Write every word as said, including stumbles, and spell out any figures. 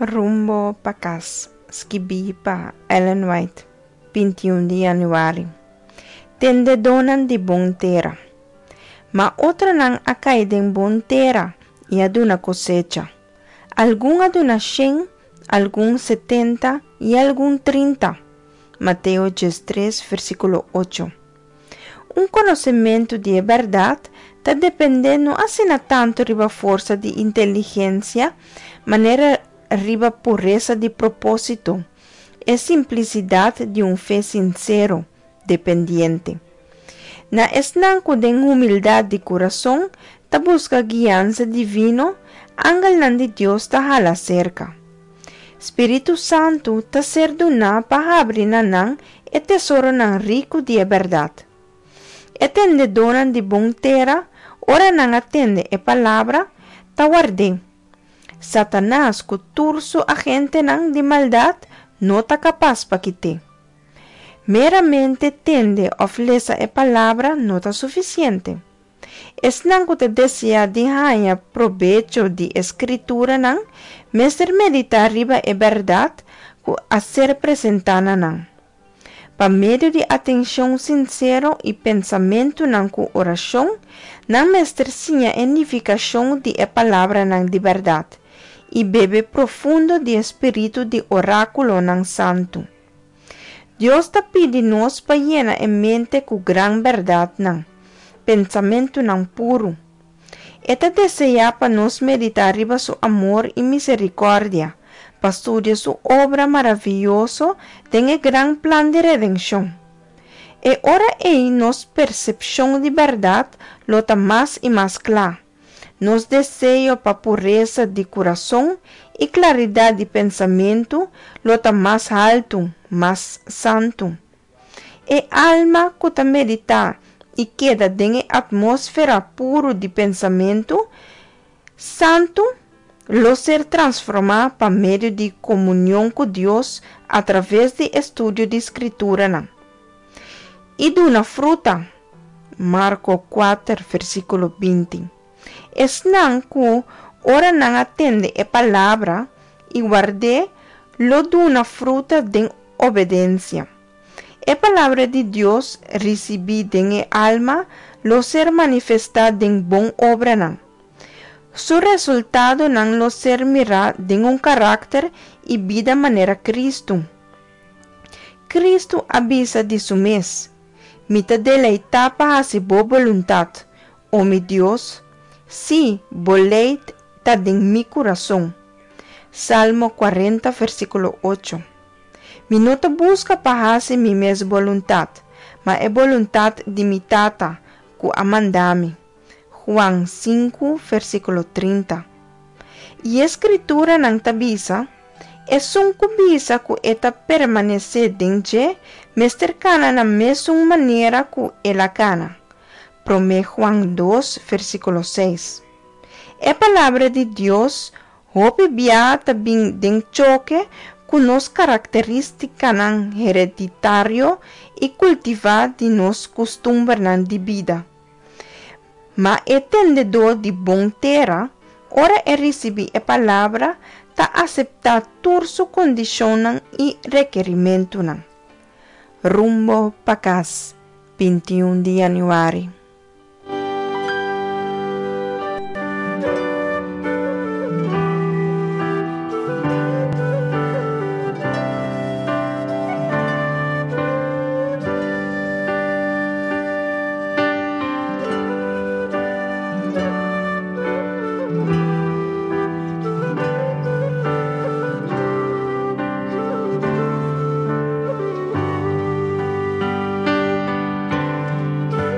Rumbo pa kas, skibí pa Ellen White, bintiun di yanüari. Tendedónan di bon tera. Ma otronan a kai den bon tera i a duna kosecha. Algun a duna shen, algun setenta i algun trinta. Mateo diestres, versíkulo ocho. Un konosementu di e bèrdat ta dependé no asina tantu riba forsa di inteligensia manera riba puresa di propósito, e simplisidat di un fe sinsero, dependiente. Na esnan ku den humildat di kurason ta buska guiansa divino, angelnan di Dios ta hala serka. Spiritu Santu ta ser duná pa habri na nan e tesoronan riku di e bèrdat. E tendedónan di bon tera, ora nan a tende e palabra, ta ward'é. Satanas ku tur su agentenan di maldat no ta kapas pa kit'é. Meramente tende òf lesa e palabra no ta sufisiente. Esnan ku ta deseá di haña probecho di e Skrituranan mester meditá riba e bèrdat ku a ser presentá na nan. Pa medio di atenshon sinsero i pensamentunan ku orashon, nan mester siña e nifikashon di e palabranan di bèrdat i bebe profundo di e spiritu di orákulonan santu. Dios ta pidi nos pa yena e mente ku gran bèrdatnan, pensamentunan puru. E ta deseá pa nos meditá riba su amor i miserikòrdia, pa studia su obra maravioso den e gran plan di redenshon. E ora ei nos persepshon di bèrdat lo ta mas i mas kla. Nos deseo pa puresa di kurason i klaridat di pensamentu lo ta mas haltu, mas santu. E alma ku ta meditá i keda den e atmósfera puru di pensamentu santu lo ser transformá pa medio di komunion ku Dios atraves di estudio di Skrituranan. I duna fruta. Marko kuater, versíkulo binti. Esnan ku ora nan a tende e palabra i ward'é lo duna fruta den obedensia. E palabra di Dios risibí den e alma lo ser manifestá den bon obranan. Su resultadonan lo ser mirá den un karakter i bida manera Kristu. Kristu a bisa di su mes, Mi ta deleitá pa hasi bo boluntat, o mi Dios. Sí, bo lei ta den mi kurason. Salmo kuarenta, versíkulo ocho. Mi no ta buska pa hasi mi mes boluntat, ma e boluntat di mi Tata, ku a manda mi. Juan sinku, versíkulo trinta. I e Skrituranan ta bisa, Esun ku bisa ku e ta permanesé den dje, mester kana na mesun manera ku el a kana. Promé Juan dos, versíkulo seis. E Palabra di Dios hopi biaha ta bin den choke ku nos karakterístikanan hereditario i kultivá di nos kustumbernan di bida. Ma e tendedó di bon tera, ora e risibí e Palabra, ta aseptá tur su kondishonnan i rekerimentunan. Rumbo pa kas, bintiun di yanüari.